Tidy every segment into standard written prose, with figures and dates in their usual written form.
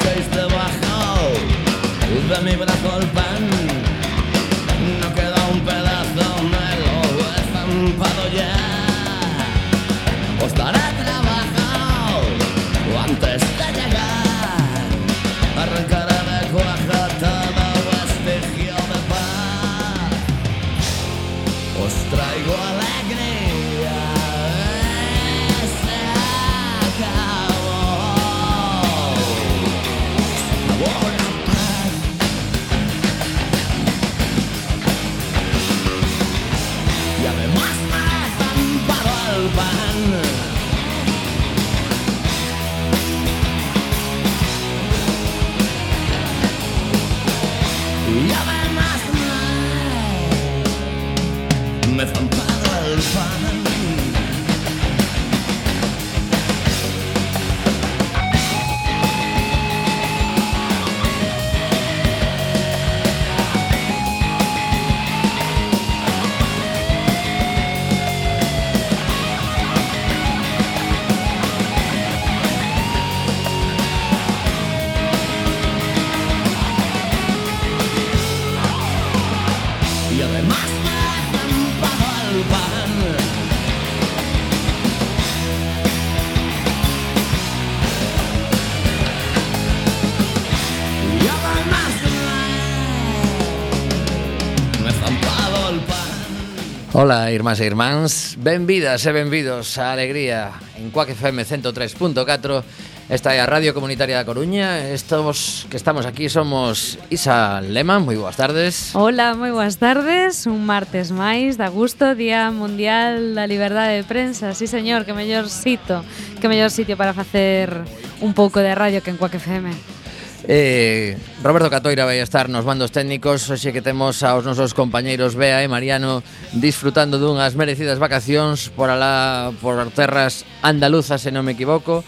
pusisteis debajo de mi brazo el pan. No queda un pedazo, me lo he estampado ya. Os daré trabajo antes de llegar. Arrancaré de cuaja todo vestigio de paz. Os traigo alegría. Se acabó. Se acabó la paz. Y además me he estampado el pan. Y además me he estampado el pan. Y además me he estampado el pan. Y además me he estampado el pan. Ola, irmás e irmáns, benvidas e benvidos á alegría en Quack FM 103.4. Esta é a Radio Comunitaria da Coruña. Estos que estamos aquí somos Isa Lema, moi boas tardes. Hola, moi boas tardes. Un martes máis, da gusto, Día Mundial da Liberdade de Prensa. Sí, señor, que mellor sitio para facer un pouco de radio que en Quack FM. Roberto Catoira vai estar nos mandos técnicos. Hoxe que temos aos nosos compañeiros Bea e Mariano disfrutando dunhas merecidas vacacións por alá, por terras andaluzas, se non me equivoco.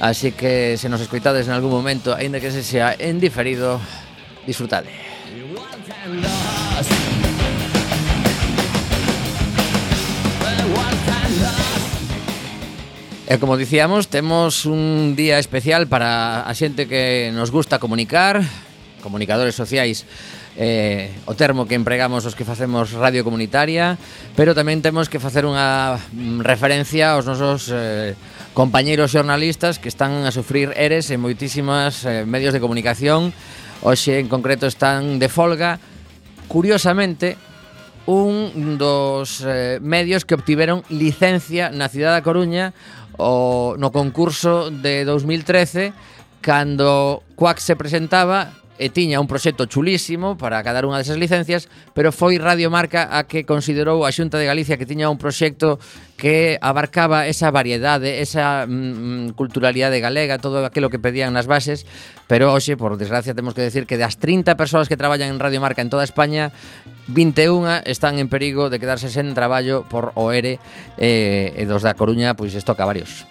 Así que se nos escoitades en algún momento, aínda que se sea en diferido, disfrutade. E como dicíamos, temos un día especial para a xente que nos gusta comunicar, comunicadores sociais, o termo que empregamos os que facemos radio comunitaria, pero tamén temos que facer unha referencia aos nosos compañeiros xornalistas que están a sufrir eres en moitísimas medios de comunicación. Hoxe en concreto están de folga. Curiosamente, un dos medios que obtiveron licencia na cidade da Coruña no concurso de 2013, cando Quack se presentaba e tiña un proxecto chulísimo para cada unha desas licencias, pero foi Radio Marca a que considerou a Xunta de Galicia que tiña un proxecto que abarcaba esa variedade, esa culturalidade galega, todo aquilo que pedían nas bases. Pero hoxe, por desgracia, temos que decir que das 30 persoas que traballan en Radio Marca en toda España, 21 están en perigo de quedarse sen traballo por o ERE, e dos da Coruña, pois isto a varios.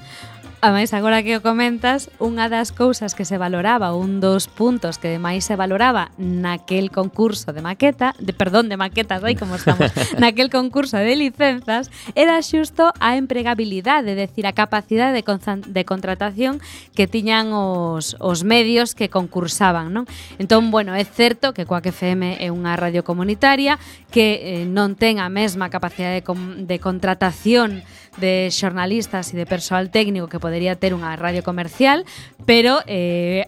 Ademais, agora que o comentas, unha das cousas que se valoraba, un dos puntos que máis se valoraba naquel concurso de maquetas, aí como estamos, naquel concurso de licenzas, era xusto a empregabilidade, é dicir, a capacidade de contratación que tiñan os medios que concursaban, non? Entón, bueno, é certo que Quack FM é unha radio comunitaria que non ten a mesma capacidade de contratación de xornalistas e de persoal técnico que podería ter unha radio comercial, pero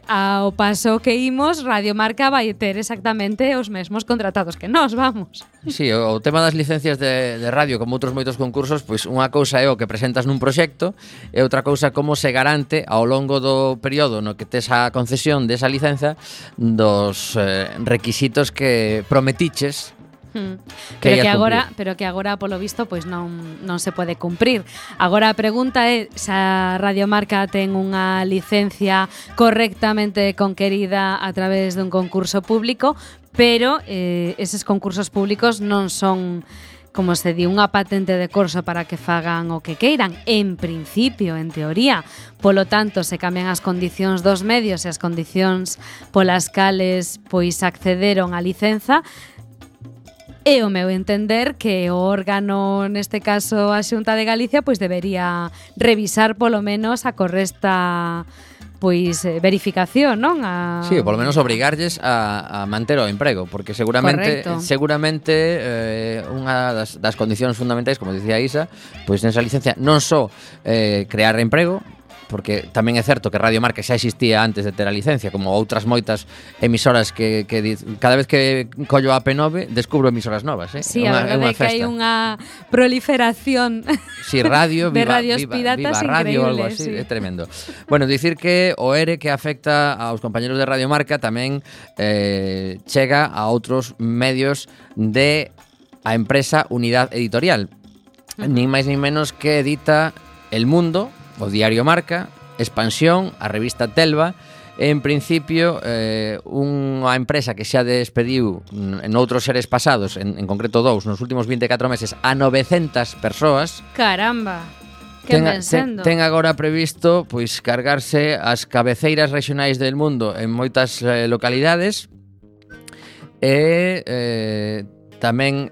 ao paso que imos, Radio Marca vai ter exactamente os mesmos contratados que nós, vamos. Sí, o tema das licencias de radio, como outros moitos concursos, pois unha cousa é o que presentas nun proxecto e outra cousa como se garante ao longo do período no que tes a concesión desa licenza dos requisitos que prometiches. Pero que agora polo visto pois non se pode cumprir. Agora a pregunta é se a Radio Marca ten unha licencia correctamente conquerida a través dun concurso público, pero eses concursos públicos non son, como se di, unha patente de corso para que fagan o que queiran, en principio, en teoría. Polo tanto, se cambian as condicións dos medios e as condicións polas cales pois accederon á licenza, e o meu entender que o órgano, neste caso a Xunta de Galicia, pois debería revisar polo menos a correcta pois verificación, non? Sí, polo menos obrigarlles a manter o emprego, porque seguramente unha das condicións fundamentais, como dicía Isa, pois nesa licencia non só crear emprego, porque tamén é certo que Radio Marca xa existía antes de ter a licencia, como outras moitas emisoras que cada vez que collo a P9 descubro emisoras novas, Sí, a verdade é que hai unha proliferación radio, de radios piratas viva radio, algo increíbles, así, é tremendo. Bueno, dicir que o ERE que afecta aos compañeros de Radio Marca tamén chega a outros medios de a empresa Unidade Editorial. Nin máis nin menos que edita El Mundo, o diario Marca, Expansión, a revista Telva, en principio unha empresa que xa despediu en outros seres pasados, en concreto dous, nos últimos 24 meses, a 900 persoas. Caramba, que ten agora previsto pois cargarse as cabeceiras regionais del mundo en moitas localidades e tamén,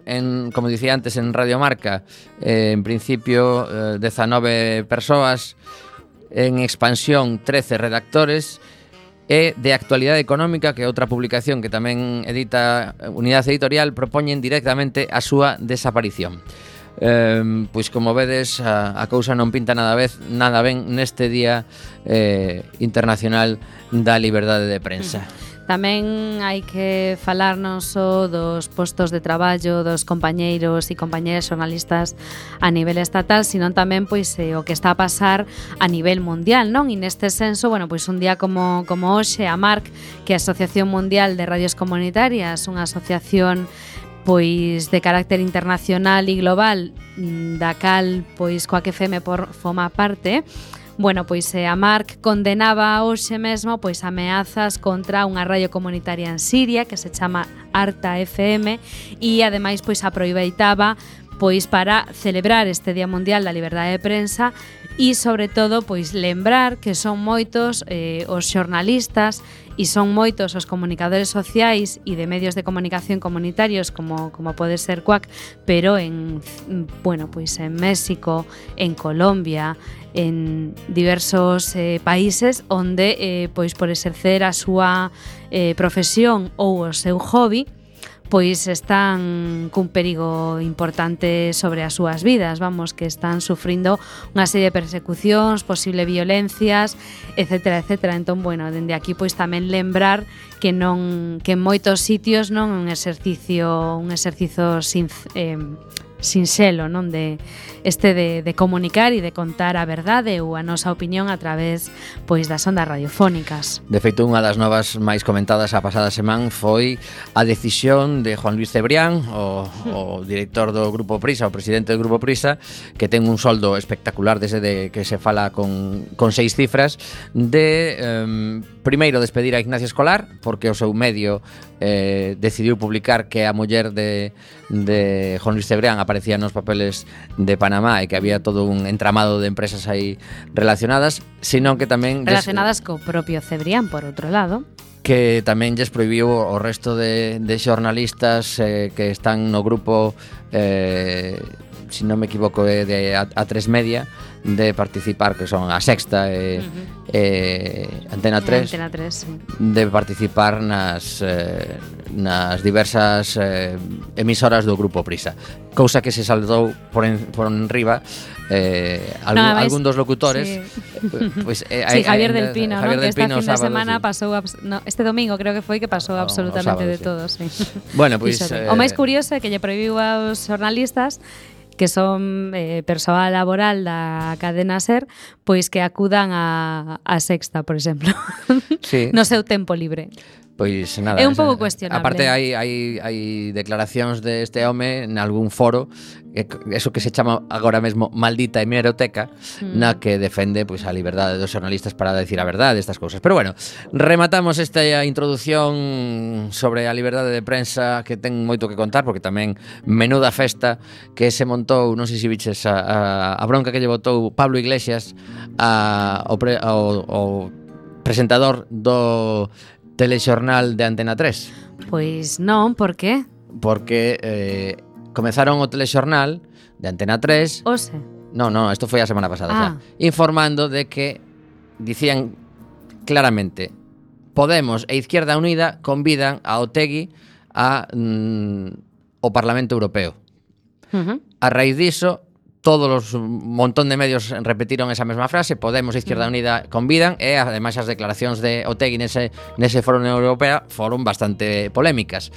como dicía antes, en Radio Marca, en principio 19 persoas, en Expansión 13 redactores, e de Actualidade Económica, que é outra publicación que tamén edita Unidade Editorial, propoñen directamente a súa desaparición. Pois como vedes, a cousa non pinta nada ben neste Día Internacional da Liberdade de Prensa. Tamén hai que falar non só dos postos de traballo dos compañeiros e compañeras xornalistas a nivel estatal, sino tamén pois o que está a pasar a nivel mundial, non? E neste senso, bueno, pois un día como hoxe, a MARC, que é a Asociación Mundial de Radios Comunitarias, unha asociación pois de carácter internacional e global, da cal pois Coac FM forma parte. Bueno, pois a MARC condenaba hoxe mesmo pois ameazas contra unha radio comunitaria en Siria que se chama Arta FM e ademais pois aproveitaba pois para celebrar este Día Mundial da Liberdade de Prensa e sobre todo pois lembrar que son moitos os xornalistas e son moitos os comunicadores sociais e de medios de comunicación comunitarios como pode ser Coac, pero en México, en Colombia, en diversos países onde pois por exercer a súa profesión ou o seu hobby pois están cun perigo importante sobre as súas vidas, vamos, que están sufrindo unha serie de persecucións, posible violencias, etcétera, etcétera. Entón, bueno, dende aquí pois tamén lembrar que en moitos sitios non un exercicio sinxelo, non, de comunicar e de contar a verdade ou a nosa opinión a través pois das ondas radiofónicas. De feito, unha das novas máis comentadas a pasada semana foi a decisión de Juan Luis Cebrián, o director do Grupo Prisa, o presidente do Grupo Prisa, que ten un soldo espectacular desde de que se fala con 6 cifras, de primeiro despedir a Ignacia Escolar, porque o seu medio decidiu publicar que a muller de Juan Luis Cebrián aparecía nos papeles de Panamá e que había todo un entramado de empresas aí relacionadas, sino que tamén relacionadas co propio Cebrián, por outro lado, que tamén lles prohibiu o resto de xornalistas que están no grupo, se non me equivoco, de A3 Media, de participar, que son a Sexta e Antena 3, sí, de participar nas diversas emisoras do Grupo Prisa, cousa que se saldou por enriba algún dos locutores, sí. Pues, sí, Javier del Pino, ¿no? Que esta fin de semana pasou este domingo creo que foi que pasou absolutamente de todo, sí. Bueno, pues, o máis curioso é que lle prohibiu aos xornalistas que son persoal laboral da cadena SER, pois que acudan a Sexta, por exemplo, sí. No seu tempo libre. Pois nada, é un pouco cuestionable. Aparte hai declaracións deste home en algún foro, eso que se chama agora mesmo maldita hemeroteca, na que defende pois a liberdade dos xornalistas para decir a verdade, estas cousas. Pero bueno, rematamos esta introdución sobre a liberdade de prensa, que ten moito que contar, porque tamén menuda festa que se montou, non sei se viches a bronca que lle botou Pablo Iglesias ao presentador do telexornal de Antena 3. Pois non, por qué? Porque comezaron o telexornal de Antena 3. Ose. No, isto foi a semana pasada xa, informando de que dicían claramente. Podemos e Izquierda Unida convidan a Otegi ao Parlamento Europeo. A raíz diso, todos un montón de medios repetiron esa mesma frase, Podemos e Izquierda Unida convidan, e ademais as declaracións de Otegi nese foro na Unión Europea foron bastante polémicas.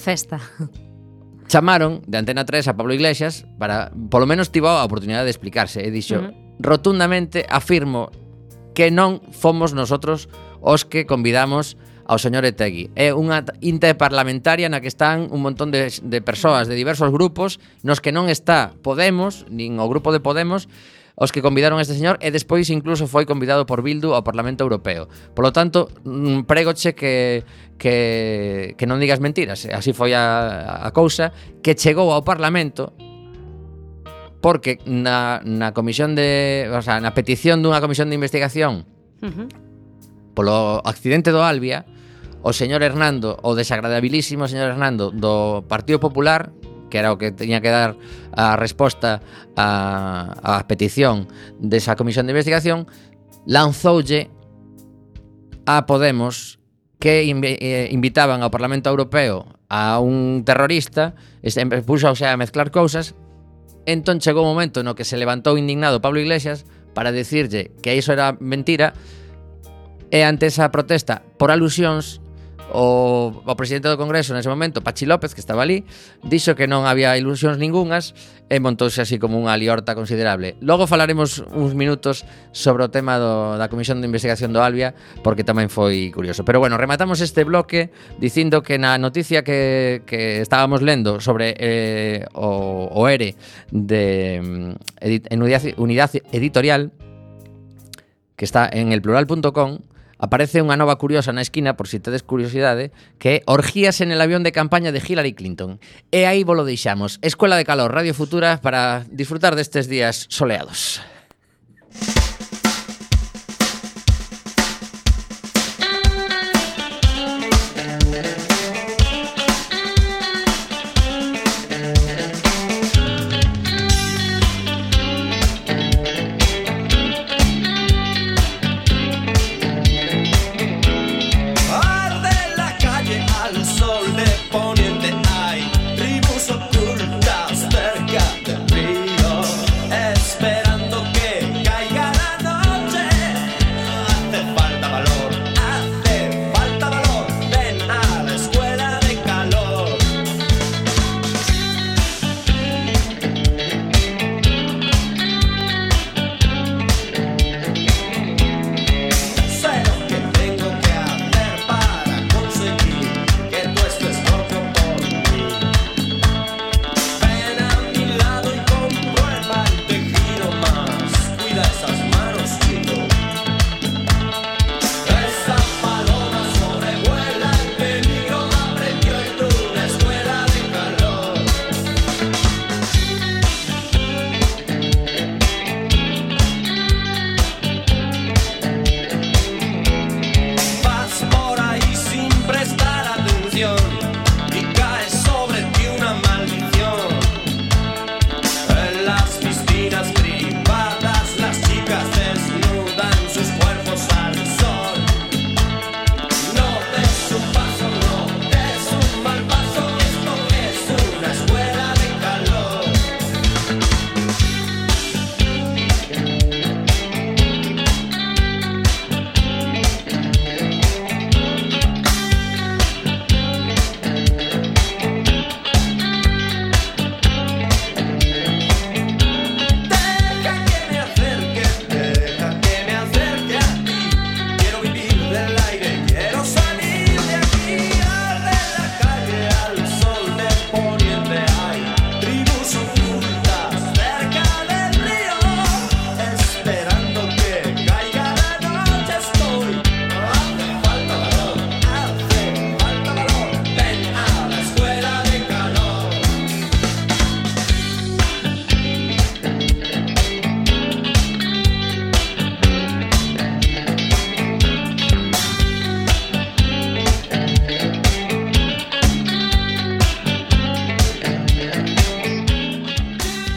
Festa. Chamaron de Antena 3 a Pablo Iglesias para, polo menos, tivo a oportunidade de explicarse, e dixo, rotundamente afirmo que non fomos nosotros os que convidamos ao señor Otegi. É unha interparlamentaria na que están un montón de persoas de diversos grupos, nos que non está Podemos, nin o grupo de Podemos, os que convidaron a este señor, e despois incluso foi convidado por Bildu ao Parlamento Europeo. Por lo tanto, prégoche que non digas mentiras. Así foi a cousa, que chegou ao Parlamento porque na comisión na petición dunha comisión de investigación polo accidente do Albia, o señor Hernando, o desagradabilísimo señor Hernando do Partido Popular, que era o que teña que dar a resposta á petición desa comisión de investigación, lanzoulle a Podemos que invitaban ao Parlamento Europeo a un terrorista, puxouse a mezclar cousas. Entón chegou un momento no que se levantou indignado Pablo Iglesias para dicirlle que iso era mentira, e ante esa protesta por alusións o presidente do Congreso nese momento, Pachi López, que estaba ali, dixo que non había ilusións ningunhas e montouse así como unha liorta considerable. Logo falaremos uns minutos sobre o tema da Comisión de Investigación do Albia, porque tamén foi curioso. Pero bueno, rematamos este bloque dicindo que na noticia que estábamos lendo sobre o ERE de Unidade Editorial, que está en elplural.com, aparece unha nova curiosa na esquina, por si tedes curiosidade, que é orgías en el avión de campaña de Hillary Clinton. E aí vos lo deixamos. Escuela de Calor, Radio Futura, para disfrutar destes días soleados.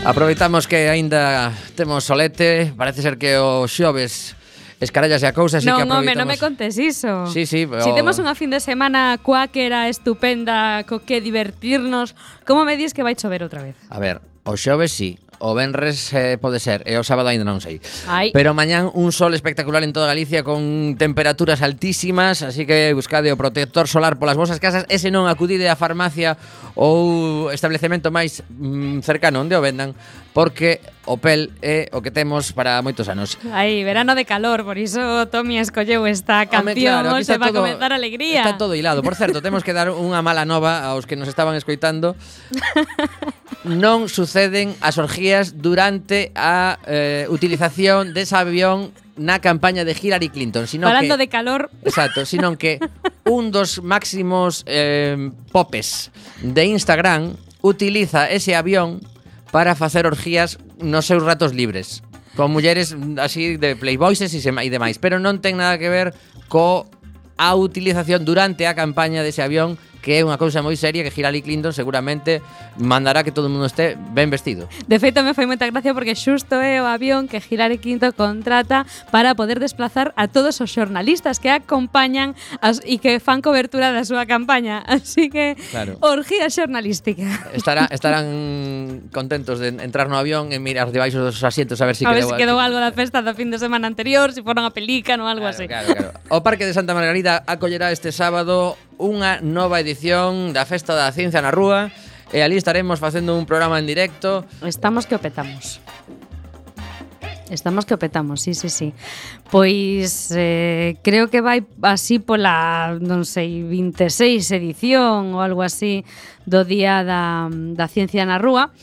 Aproveitamos que aínda temos solete. Parece ser que o xoves escarallase a cousa, así que Non, home, aproveitamos. non me contes iso. Sí, Si temos unha fin de semana cuáquera estupenda co que divertirnos, como me dis que vai chover outra vez? A ver, o xoves sí, o venres pode ser, e o sábado aínda non sei. Ai. Pero mañán un sol espectacular en toda Galicia con temperaturas altísimas, así que buscade o protector solar polas vosas casas, e se non acudide á farmacia ou establecemento máis cercano onde o vendan, porque o pel é o que temos para moitos anos. Ai, verano de calor, por iso Tommy escolleu esta Home, canción, claro, aquí se está va a todo- comenzar a alegría. Está todo hilado. Por certo, temos que dar unha mala nova aos que nos estaban escoitando. Non suceden as orgías durante a utilización dese avión na campaña de Hillary Clinton, sino Falando que de calor, exacto, sino que un dos máximos popes de Instagram utiliza ese avión para facer orgías nos seus ratos libres con mulleres así de playboyses e demais, pero non ten nada que ver co a utilización durante a campaña dese avión, que é unha cousa moi seria que Hillary Clinton seguramente mandará que todo o mundo este ben vestido. de feito me foi moita gracia porque xusto é o avión que Hillary Clinton contrata para poder desplazar a todos os xornalistas que a acompañan e que fan cobertura da súa campaña. Así que, Claro. orgía xornalística. Estarán contentos de entrar no avión e mirar debaixo dos asientos a ver se A ver quedou se quedou algo da festa do fin de semana anterior, se foron a Pelícano ou algo así. Claro. O Parque de Santa Margarida acollerá este sábado unha nova edición da Festa da Ciencia na Rúa e ali estaremos facendo un programa en directo. Estamos que o petamos. Estamos que o petamos, sí. Pois creo que vai así pola, non sei, 26 edición ou algo así do Día da Ciencia na Rúa.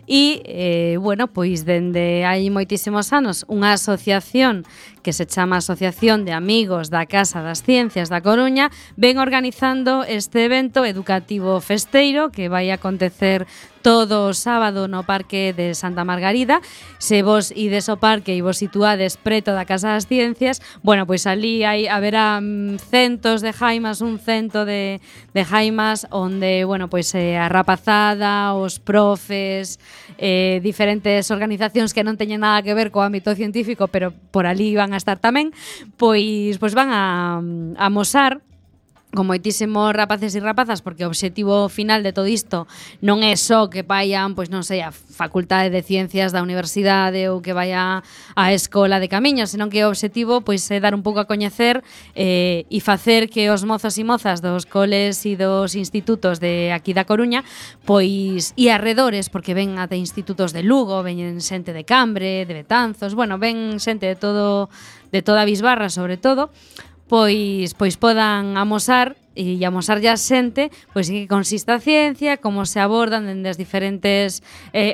E, bueno, pois dende hai moitísimos anos unha asociación que se chama Asociación de Amigos da Casa das Ciencias da Coruña ven organizando este evento educativo festeiro que vai acontecer todo o sábado no Parque de Santa Margarida. Se vos ides ao parque e vos situades preto da Casa das Ciencias, bueno, pois ali haberá centos de jaimas, un cento de jaimas onde, bueno, pois a rapazada, os profes, diferentes organizacións que non teñen nada que ver co ámbito científico, pero por ali van a estar tamén, pois van a amosar con moitísimos rapaces e rapazas, porque o obxectivo final de todo isto non é só que vayan, pois non sei, a Facultade de Ciencias da Universidade ou que vaya á Escola de Camiños, senón que o obxectivo pois é dar un pouco a coñecer e facer que os mozos e mozas dos coles e dos institutos de aquí da Coruña pois e arredores, porque ven até institutos de Lugo, ven xente de Cambre, de Betanzos, bueno, ven xente de toda a Bisbarra sobre todo, pois podan amosar e amosar a xente pois que consiste a ciencia, como se abordan dende as diferentes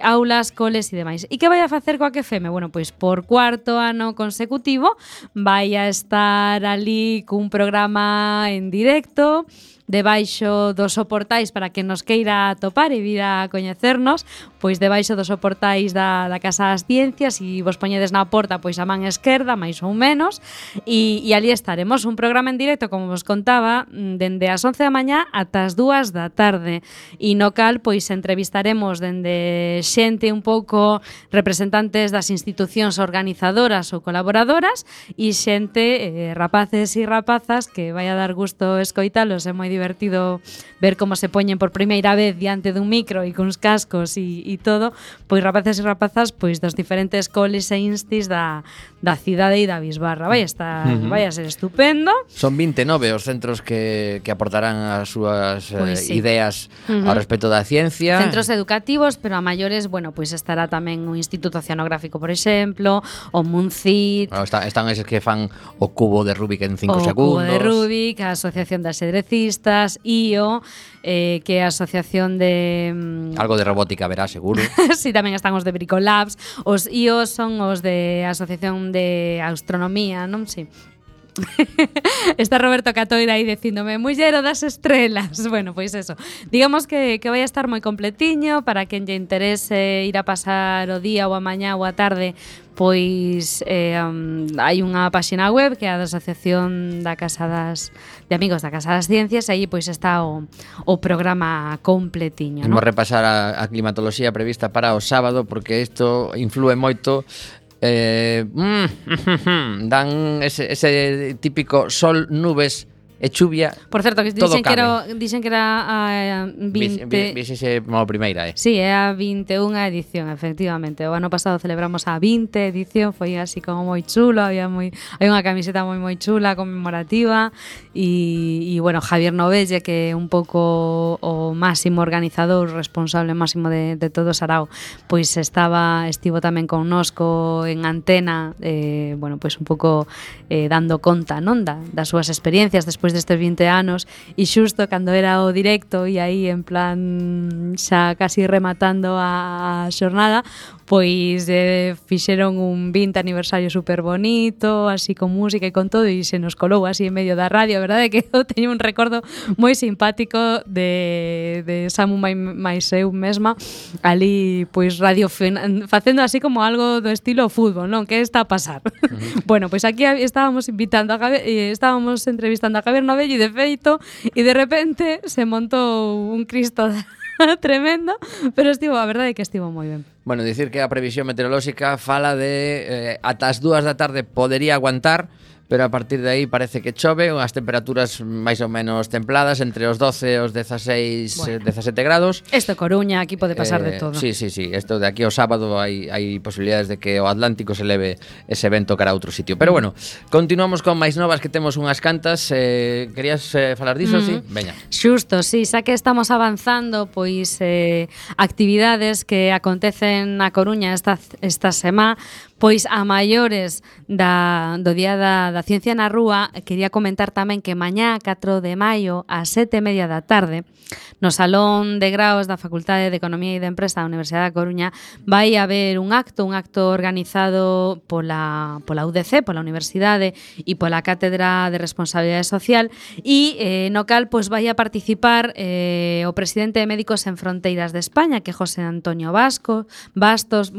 aulas, coles e demais. E que vai a facer coa QFM? Bueno, pois por cuarto ano consecutivo vai a estar ali cun programa en directo debaixo dos soportais para que nos queira atopar e vir a coñecernos, pois debaixo dos soportais da Casa das Ciencias, e vos poñedes na porta pois a man esquerda, máis ou menos, e ali estaremos, un programa en directo, como vos contaba, dende as 11 da mañá ata as 2 da tarde, e no cal pois entrevistaremos dende xente un pouco representantes das institucións organizadoras ou colaboradoras e xente, rapaces e rapazas, que vai a dar gusto escoitalos, é moi divertido ver como se poñen por primeira vez diante dun micro e cuns cascos e todo, pois rapaces e rapazas pois dos diferentes coles e instis da cidade e da Bisbarra. Vai a ser estupendo. Son 29 os centros que aportarán as súas Pois sí. ideas ao respecto da ciencia. Centros educativos, pero a maiores, bueno, pois estará tamén o Instituto Oceanográfico, por exemplo, o Muncit, Están eses que fan o cubo de Rubik en 5 o segundos. Cubo de Rubik, a Asociación de Axedrecistas, IO, que é a Asociación de... Algo de robótica verá, seguro. Sí, tamén están os de Bricolabs. Os IO son os de Asociación de Astronomía, non? Sí. Está Roberto Catoira aí dicíndome Mullero das estrelas. Bueno, pois eso. Digamos que vai a estar moi completiño para quen lle interese ir a pasar o día ou a mañá ou a tarde. Pois hai unha páxina web que é a da Asociación de Amigos da Casa das Ciencias, e aí pois está o programa completiño, Vamos ¿no? repasar a climatoloxía prevista para o sábado, porque isto influe moito dan ese típico sol, nubes e chuvia. Por certo, que dixen que era a 20... Vixese como a primeira, Sí, é a 21ª edición, efectivamente. O ano pasado celebramos a 20 edición, foi así como moi chulo, hai unha camiseta moi chula, conmemorativa, e bueno, Javier Novelle, que é un pouco o máximo organizador, responsable máximo de todo Sarao, pois estivo tamén connosco en antena, bueno, pois un pouco dando conta, non, das súas experiencias despois destes 20 anos, e xusto cando era o directo e aí en plan xa casi rematando a xornada, pois fixeron un 20 aniversario super bonito, así con música e con todo, e se nos colou así en medio da radio. A verdade é que eu teño un recordo moi simpático de Samu máis eu mesma ali, pois facendo así como algo do estilo fútbol, non? Que está a pasar? Bueno, pois aquí estábamos entrevistando a Javier Novello, e de feito, e de repente se montou un Cristo tremendo, pero a verdade é que estivo moi ben. Bueno, dicir que a previsión meteorolóxica fala de ata as 2 da tarde podería aguantar, pero a partir de aí parece que chove, as temperaturas máis ou menos templadas, entre os 12 e os 16, bueno, 17 grados. Isto Coruña, aquí pode pasar de todo. Sí, isto de aquí ao sábado hai posibilidades de que o Atlántico se leve ese vento cara a outro sitio. Pero bueno, continuamos con máis novas, que temos unhas cantas. Querías falar diso, sí? Veña. Xusto, sí, xa que estamos avanzando, pois actividades que acontecen na Coruña esta semana, pois a maiores do Día da Ciencia na Rúa, quería comentar tamén que mañá, 4 de maio, ás 7:30 da tarde, no Salón de Graos da Facultade de Economía e de Empresa da Universidade da Coruña, vai haber un acto organizado pola UDC, pola Universidade e pola Cátedra de Responsabilidade Social, e no cal pois vai a participar o presidente de Médicos Sen Fronteiras de España, que é José Antonio Bastos. Bastos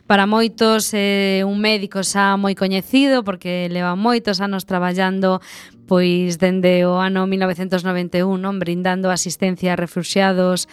para moitos un médico xa moi coñecido, porque leva moitos anos traballando pois dende o ano 1991, non, brindando asistencia a refuxiados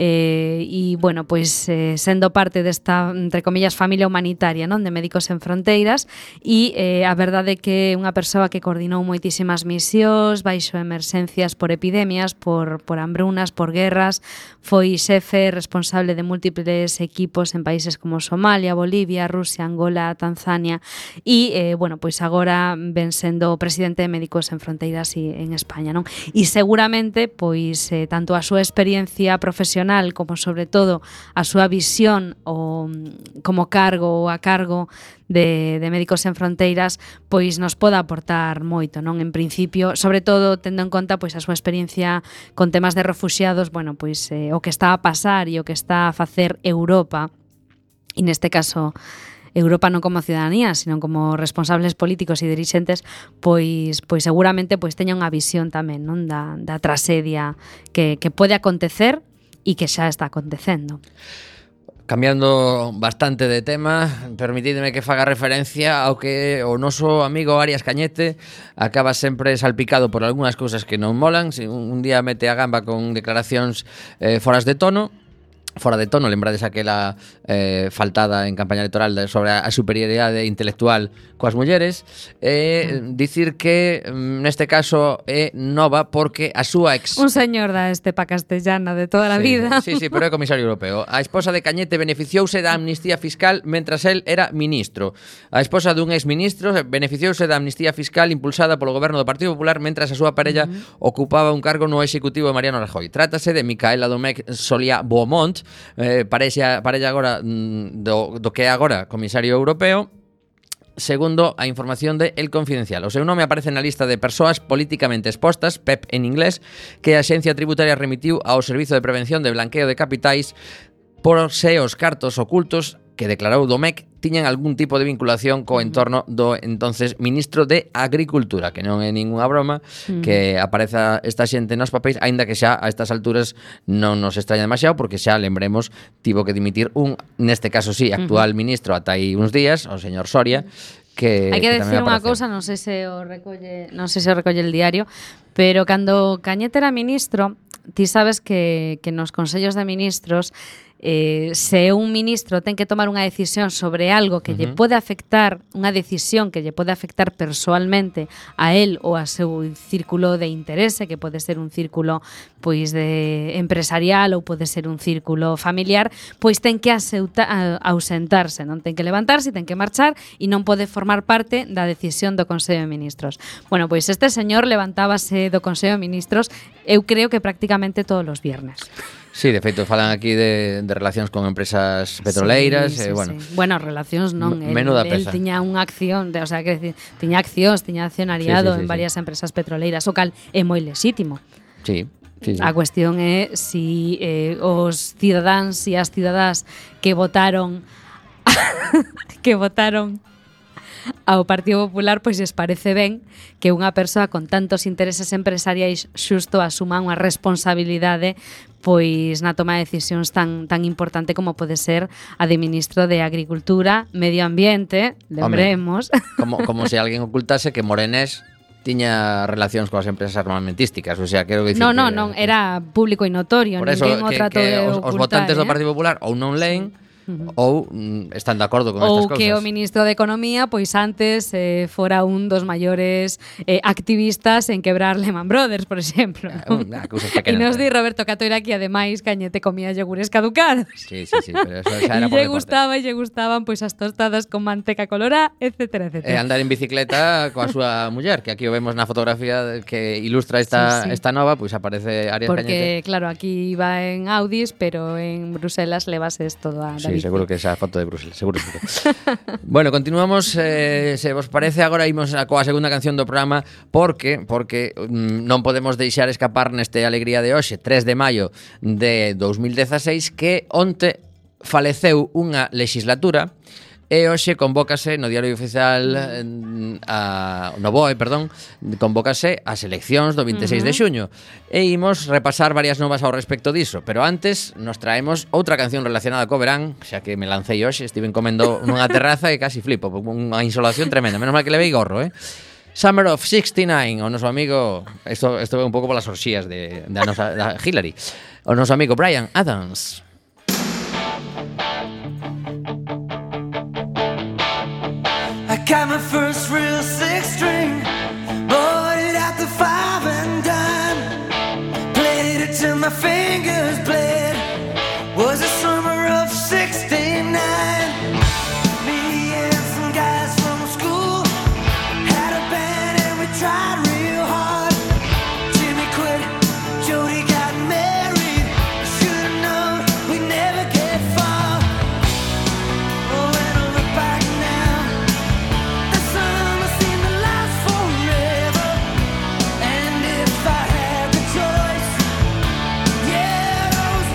e, bueno, pois sendo parte desta, entre comillas, familia humanitaria, non, de Médicos Sen Fronteiras, e a verdade é que é unha persoa que coordinou moitísimas misións baixo emerxencias por epidemias, por hambrunas, por guerras, foi xefe responsable de múltiples equipos en países como Somalia, Bolivia, Rusia, Angola, Tanzania, e, bueno, pois agora ven sendo o presidente de Médicos Sen Fronteiras en España, non? E seguramente, pois, tanto a súa experiencia profesional como, sobre todo, a súa visión como cargo ou a cargo de Médicos Sen Fronteiras, pois nos poda aportar moito, non? En principio, sobre todo tendo en conta pois a súa experiencia con temas de refuxiados, bueno, pois o que está a pasar e o que está a facer Europa, e neste caso Europa non como ciudadanía, sino como responsables políticos e dirixentes, pois seguramente pois teña unha visión tamén, non, da traxedia que pode acontecer e que xa está acontecendo. Cambiando bastante de tema, permitidme que faga referencia ao que o noso amigo Arias Cañete acaba sempre salpicado por algunhas cousas que non molan. Un día mete a gamba con declaracións fora de tono, lembrades aquela faltada en campaña electoral sobre a superioridade intelectual coas mulleres, dicir que neste caso é nova porque a súa un señor da estepa castellana de toda a vida. Sí, pero é comisario europeo. A esposa de Cañete beneficiouse da amnistía fiscal mentras el era ministro. A esposa dun exministro beneficiouse da amnistía fiscal impulsada polo goberno do Partido Popular mentras a súa parella ocupaba un cargo no executivo de Mariano Rajoy. Trátase de Micaela Domecq Solía Beaumont, parella agora do que é agora comisario europeo, segundo a información de El Confidencial. O seu nome aparece na lista de persoas políticamente expostas, PEP en inglés, que a Axencia Tributaria remitiu ao Servizo de Prevención de Blanqueo de Capitais por se os cartos ocultos que declarou Domecq tiñan algún tipo de vinculación co entorno do entonces ministro de Agricultura, que non é ninguna broma que apareza esta xente nos papéis, aínda que xa a estas alturas non nos extraña demasiado, porque xa, lembremos, tivo que dimitir neste caso sí, actual ministro ata aí uns días, o señor Soria, que hai que decir unha cousa, non sei se o recolle el diario, pero cando Cañete era ministro, ti sabes que nos consellos de ministros se un ministro ten que tomar unha decisión sobre algo que lle pode afectar, unha decisión que lle pode afectar persoalmente a él ou a seu círculo de interese, que pode ser un círculo pois de empresarial ou pode ser un círculo familiar, pois ten que ausentarse, non ten que levantarse, ten que marchar e non pode formar parte da decisión do Consello de Ministros. Bueno, pois este señor levantábase do Consello de Ministros, eu creo que prácticamente todos os viernes. Sí, de feito, falan aquí de relacións con empresas petroleiras. Bueno, bueno, relacións non. Menuda peza. El tiña unha acción, o sea, que tiña accións, tiña accionariado en varias empresas petroleiras, o cal é moi lexítimo. Sí. A cuestión é si os cidadáns e as cidadás que votaron ao Partido Popular, pois les parece ben que unha persoa con tantos intereses empresariais xusto asuma unha responsabilidade pois na toma de decisións tan importante como pode ser a de Ministro de Agricultura, Medio Ambiente, lembremos. Como se alguén ocultase que Morenés tiña relacións coas empresas armamentísticas, o sea, quero dicir non, era público e notorio, ninguén o tratou de ocultar. Os votantes do Partido Popular ou non leen ou están de acordo con estas cousas. Ou que o ministro de Economía pois antes fora un dos maiores activistas en quebrar Lehman Brothers, por exemplo. E nos di Roberto Catoira que ademais Cañete comía yogures caducados. Sí, pero eso xa era por deporte. Lle gustaban pois as tostadas con manteca colorá, etcétera. E andar en bicicleta coa súa muller, que aquí o vemos na fotografía que ilustra esta nova, pois aparece Arias Cañete. Porque claro, aquí iba en Audis, pero en Bruselas levas todo a Sí, seguro que esa foto de Bruselas, seguro. Bueno, continuamos, se vos parece, agora imos coa segunda canción do programa porque non podemos deixar escapar neste alegría de hoxe, 3 de maio de 2016, que onte faleceu unha legislatura e hoxe convócase no Diario Oficial no BOE, convócase as eleccións do 26 de xuño e imos repasar varias novas ao respecto diso, pero antes nos traemos outra canción relacionada co verán, xa que me lancei hoxe, estiven comendo nunha terraza e casi flipo, unha insolación tremenda, menos mal que levei gorro, Summer of 69, o noso amigo, isto é un pouco polas orxías da Hillary, o noso amigo Bryan Adams. Got my first real six string, bought it at the 5 and dime, played it till my fingers bled. Was the summer of 69. Me and some guys from school had a band and we tried real hard. Jimmy quit, Jody got married. Should've known we'd never get far. Oh, when I look back now, summer seemed to last forever. And if I had the choice, yeah, those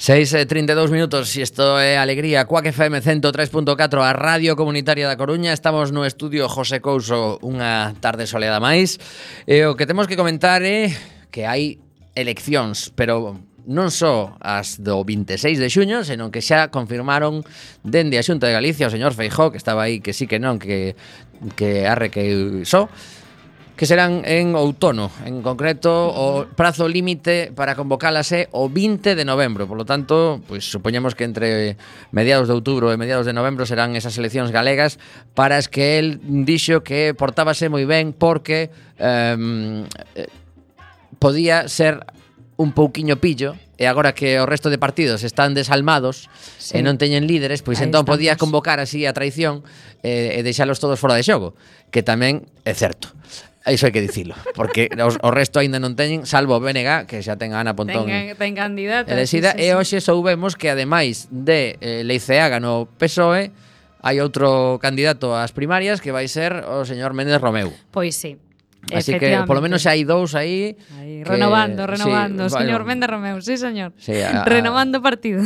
6:32 minutos, e isto é Alegría, Quack FM 103.4, a Radio Comunitaria da Coruña. Estamos no estudio José Couso unha tarde soleada máis. E o que temos que comentar é que hai eleccións, pero non só as do 26 de xuño, senón que xa confirmaron dende a Xunta de Galicia o señor Feijóo, que estaba aí que sí que non, que arre que só, que serán en outono. En concreto, o prazo límite para convocalas é o 20 de novembro. Por lo tanto, pois supoñemos que entre mediados de outubro e mediados de novembro serán esas eleccións galegas, para as que el dixo que portábase moi ben porque podía ser un pouquiño pillo, e agora que o resto de partidos están desalmados e non teñen líderes, pois entón podía convocar así a traición e deixalos todos fora de xogo, que tamén é certo. Iso hai que dicilo, porque o resto aínda non teñen, salvo o BNG, que xa ten a Ana Pontón ten candidata elexida, sí. E hoxe soubemos que ademais de Leiceaga no PSOE hai outro candidato ás primarias que vai ser o señor Méndez Romeu. Pois sí. Así que polo menos xa hai dous aí que, renovando, sí, señor Méndez Romeu, sí señor, sí, renovando partido.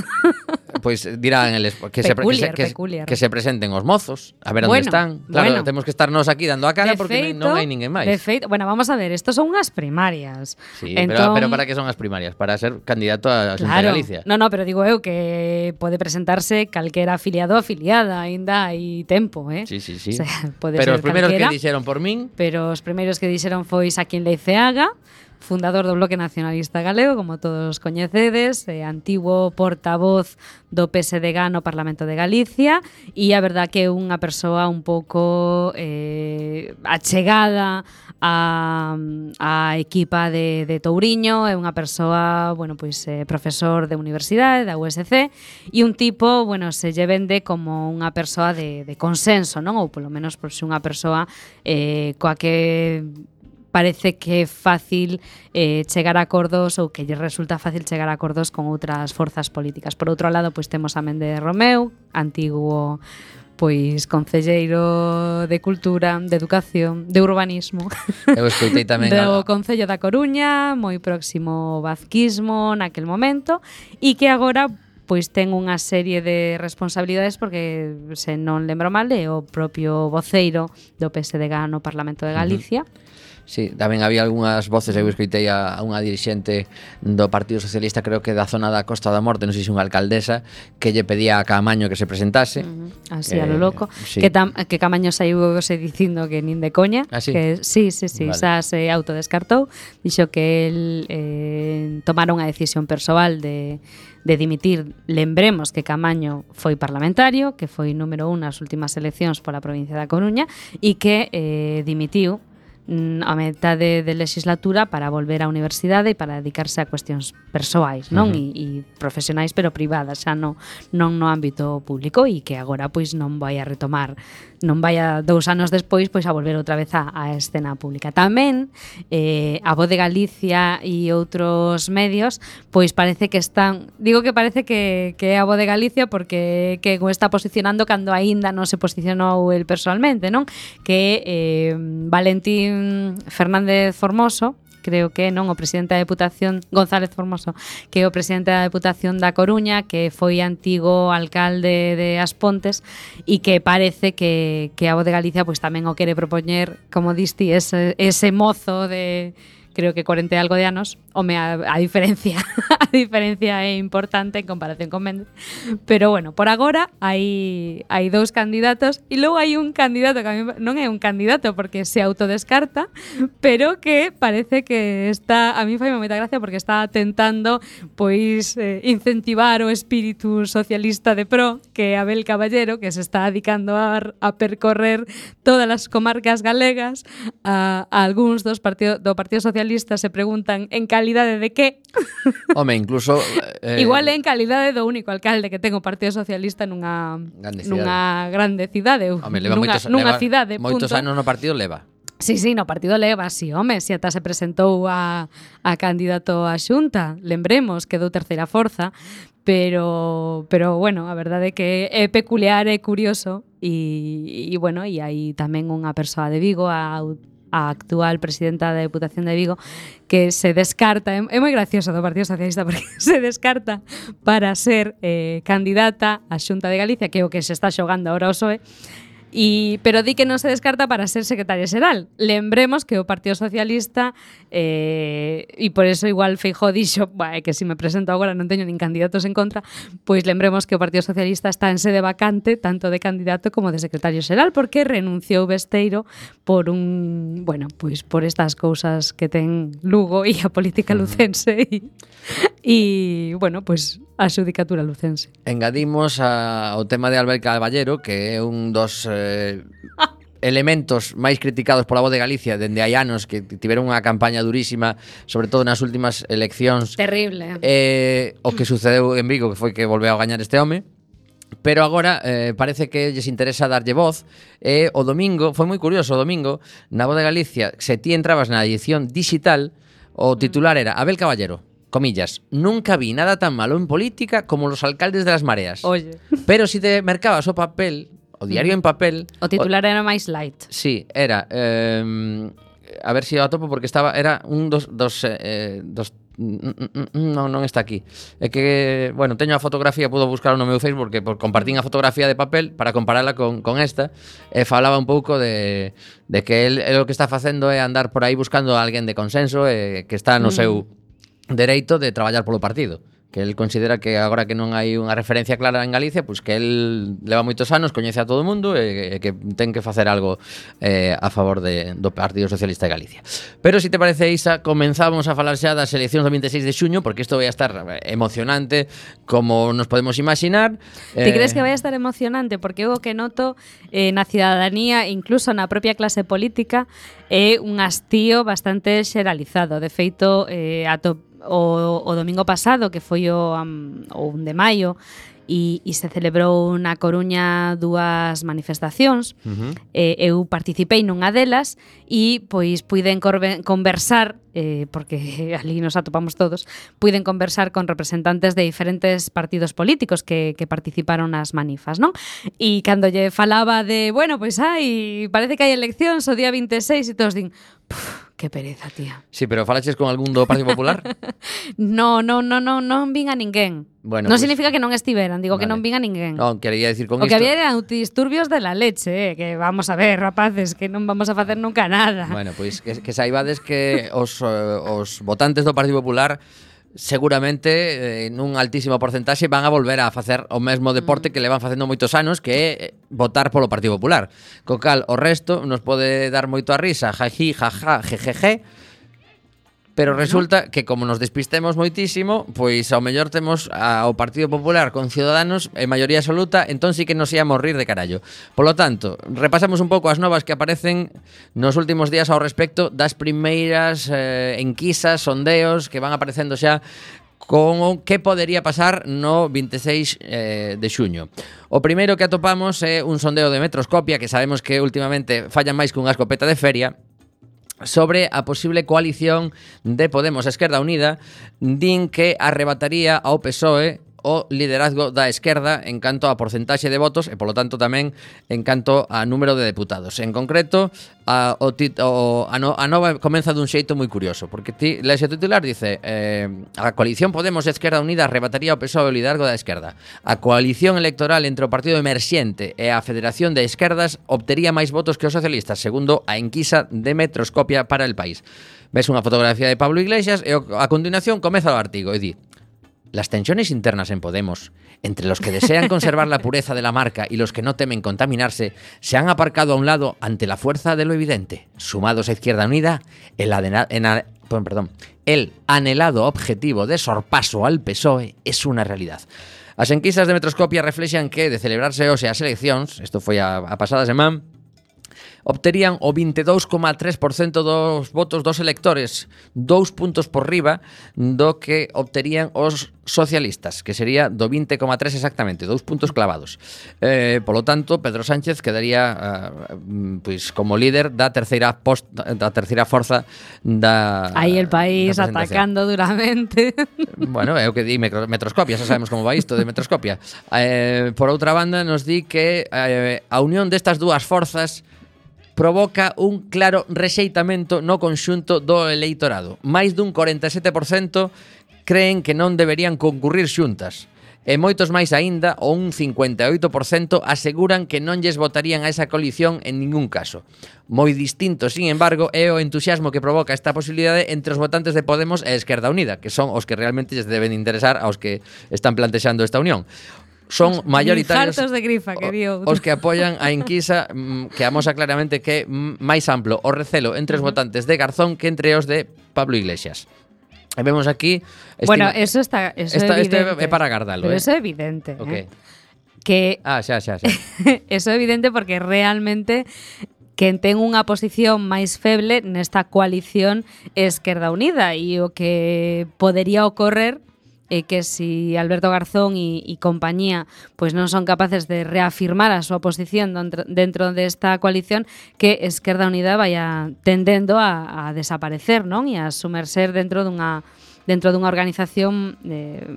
Pois dirán eles peculiar. Que se presenten os mozos, a ver onde están. Claro, temos que estarnos aquí dando a cara porque non hai ninguén máis. De feito, bueno, vamos a ver, estos son unhas primarias. Sí, pero para que son as primarias? Para ser candidato a Xunta de Galicia. No, pero digo eu que pode presentarse calquera afiliado ou afiliada, aínda hai tempo, Sí. O sea, pode pero ser os primeiros calquera, que dixeron por min. Pero os primeiros que dixeron foi Xaquín Leiceaga, fundador do Bloque Nacionalista Galego, como todos coñecedes, antigo portavoz do PSDG no Parlamento de Galicia, e a verdad que é unha persoa un pouco achegada a equipa de Touriño, é unha persoa, bueno, pois profesor de universidade, da USC, e un tipo, bueno, se lle vende como unha persoa de consenso, non? Ou polo menos por ser unha persoa coa que parece que é fácil chegar a acordos, ou que lle resulta fácil chegar a acordos con outras forzas políticas. Por outro lado, pois temos a Méndez Romeu, antigo pois concelleiro de Cultura, de Educación, de Urbanismo. Eu escoitei tamén do Concello da Coruña, moi próximo ao vazquismo naquel momento, e que agora pois ten unha serie de responsabilidades porque, se non lembro mal, é o propio voceiro do PSDG no Parlamento de Galicia. Sí, tamén había algunhas voces, eu escoitei a unha dirixente do Partido Socialista, creo que da zona da Costa da Morte, non sei se unha alcaldesa, que lle pedía a Caamaño que se presentase. Así a lo loco. Sí. Que Caamaño saiu dicindo que nin de coña. ¿Ah, sí? Que sí, Vale. xa se autodescartou. Dixo que el tomara unha decisión persoal de dimitir. Lembremos que Caamaño foi parlamentario, que foi número 1 nas últimas eleccións pola provincia da Coruña, e que dimitiu a metade de legislatura para volver á universidade e para dedicarse a cuestións persoais, non? E profesionais, pero privadas, xa non no ámbito público, e que agora pois non vai a retomar, non vai a 2 anos despois pois a volver outra vez á escena pública. Tamén a Voz de Galicia e outros medios pois parece que están, digo que parece que é a Voz de Galicia porque que o está posicionando cando aínda non se posicionou el personalmente, non? Que Valentín Fernández Formoso, creo que non, o presidente da Deputación, González Formoso, que é o presidente da Deputación da Coruña, que foi antigo alcalde de As Pontes, e que parece que a Voz de Galicia pois tamén o quere propoñer, como diste, ese mozo de, creo que 40 e algo de anos. Home, a diferencia é importante en comparación con Méndez, pero bueno, por agora hai 2 candidatos, e logo hai un candidato que a mí non é un candidato porque se autodescarta, pero que parece que está, a mí faime moita gracia porque está tentando pois incentivar o espírito socialista de pro, que é Abel Caballero, que se está dedicando a percorrer todas as comarcas galegas. A algúns do Partido Socialista se preguntan en calidade de que? Home, incluso igual é en calidade do único alcalde que ten o Partido Socialista nunha grande cidade. Home, leva nunha cidade, moitos anos no partido leva. Sí, no partido leva, sí, home, se ata se presentou a candidato á Xunta, lembremos, quedou terceira forza, pero bueno, a verdade é que é peculiar e curioso, e bueno, e hai tamén unha persoa de Vigo, a a actual presidenta da Deputación de Vigo, que se descarta, é moi gracioso do Partido Socialista porque se descarta para ser candidata á Xunta de Galicia, que é o que se está xogando agora o PSOE, pero di que non se descarta para ser secretaria xeral. Lembremos que o Partido Socialista e por eso igual Feijóo dixo que se me presento agora non teño nin candidatos en contra, pois lembremos que o Partido Socialista está en sede vacante tanto de candidato como de secretario xeral porque renunciou Besteiro por por estas cousas que ten Lugo e a política lucense e a xudicatura lucense. Engadimos ao tema de Albert Caballero, que é un dos elementos máis criticados pola Voz de Galicia dende hai anos, que tiveron unha campaña durísima, sobre todo nas últimas eleccións. Terrible. O que sucedeu en Vigo, que foi que volveu a gañar este home. Pero agora parece que lles interesa darlle voz. O domingo, foi moi curioso, o domingo na Voz de Galicia, se ti entrabas na edición digital, o titular era Abel Caballero, comillas, nunca vi nada tan malo en política como los alcaldes de las mareas. Oye. Pero si te mercabas o papel, o diario en papel... O titular era máis light. Sí, era... a ver si o atopo porque era un dos non está aquí. É que, teño a fotografía, puedo buscar no meu Facebook porque compartín a fotografía de papel para compararla con esta, e falaba un pouco de que el o que está facendo é andar por aí buscando a alguén de consenso e que está no seu dereito de traballar polo partido, que el considera que agora que non hai unha referencia clara en Galicia, pois que el leva moitos anos, coñece a todo o mundo e que ten que facer algo a favor do Partido Socialista de Galicia. Pero se te parece, Isa, comenzamos a falar xa das eleccións do 26 de xuño, porque isto vai a estar emocionante como nos podemos imaginar. Ti crees que vai a estar emocionante? Porque o que noto na cidadanía, incluso na propia clase política, é un hastío bastante xeralizado. De feito, o domingo pasado, que foi o 1 de maio, e se celebrou na Coruña 2 manifestacións. Eu participei nunha delas e pois puiden conversar, porque ali nos atopamos todos, puiden conversar con representantes de diferentes partidos políticos que participaron nas manifas, non? E cando lle falaba de, parece que hai eleccións o día 26 e todos din, que pereza, tía. Sí, pero falaches con algún do Partido Popular? Non vin a ninguén. Non significa que non estiveran, digo que non vin a ninguén. Non, quería decir con isto. O que había eran disturbios de la leche, que vamos a ver, rapaces, que non vamos a facer nunca nada. Bueno, pois que saibades que os votantes do Partido Popular seguramente nun altísimo porcentaxe van a volver a facer o mesmo deporte que levan facendo moitos anos, que é votar polo Partido Popular. Co cal, o resto nos pode dar moito a risa, jají, jajá, jejeje, pero resulta que como nos despistemos moitísimo, pois ao mellor temos ao Partido Popular con Ciudadanos en maioría absoluta, entón sí que nos íamos rir de carallo. Polo tanto, repasamos un pouco as novas que aparecen nos últimos días ao respecto das primeiras enquisas, sondeos que van aparecendo xa con o que podería pasar no 26 de xuño. O primeiro que atopamos é un sondeo de Metroscopia, que sabemos que últimamente fallan máis que unha escopeta de feria, sobre a posible coalición de Podemos e Esquerda Unida. Din que arrebataría ao PSOE o liderazgo da esquerda en canto a porcentaxe de votos e, polo tanto, tamén en canto a número de deputados. En concreto, a nova comeza dun xeito moi curioso, porque ti lees o titular, dice a coalición Podemos e Esquerda Unida arrebataría ao PSOE o liderazgo da esquerda. A coalición electoral entre o Partido Emerxente e a Federación de Esquerdas obtería máis votos que os socialistas, segundo a enquisa de Metroscopia para El País. Ves unha fotografía de Pablo Iglesias e a continuación comeza o artigo e di: las tensiones internas en Podemos, entre los que desean conservar la pureza de la marca y los que no temen contaminarse, se han aparcado a un lado ante la fuerza de lo evidente. Sumados a Izquierda Unida, el anhelado objetivo de sorpaso al PSOE es una realidad. As enquisas de Metroscopia reflexan que, de celebrarse hoxe as eleccións, isto foi a pasada semana, obterían o 22,3% dos votos dos electores, 2 puntos por riba do que obterían os socialistas, que sería do 20,3 exactamente, 2 puntos clavados. Polo tanto, Pedro Sánchez quedaría pois como líder da terceira forza da aí El País atacando duramente. Bueno, é o que di Metroscopia, xa sabemos como va isto de Metroscopia. Por outra banda, nos di que a unión destas dúas forzas provoca un claro rexeitamento no conxunto do eleitorado. Máis dun 47% creen que non deberían concurrir xuntas. E moitos máis aínda, ou un 58%, aseguran que non lles votarían a esa coalición en ningún caso. Moi distinto, sin embargo, é o entusiasmo que provoca esta posibilidade entre os votantes de Podemos e Esquerda Unida, que son os que realmente lles deben interesar aos que están plantexando esta unión. Son mayoritarios Hartos de grifa, que dio. os que apoian a enquisa que amosa claramente que é máis amplo o recelo entre os votantes de Garzón que entre os de Pablo Iglesias. E vemos aquí... Bueno, eso é evidente. é para gardalo, Pero eso é evidente. Ok. Que Xa. eso é evidente porque realmente quen ten unha posición máis feble nesta coalición é Esquerda Unida e o que podería ocorrer é que si Alberto Garzón e compañía pois non son capaces de reafirmar a súa posición dentro desta coalición, que Esquerda Unida vaya tendendo a desaparecer, non? E a sumerser dentro dunha organización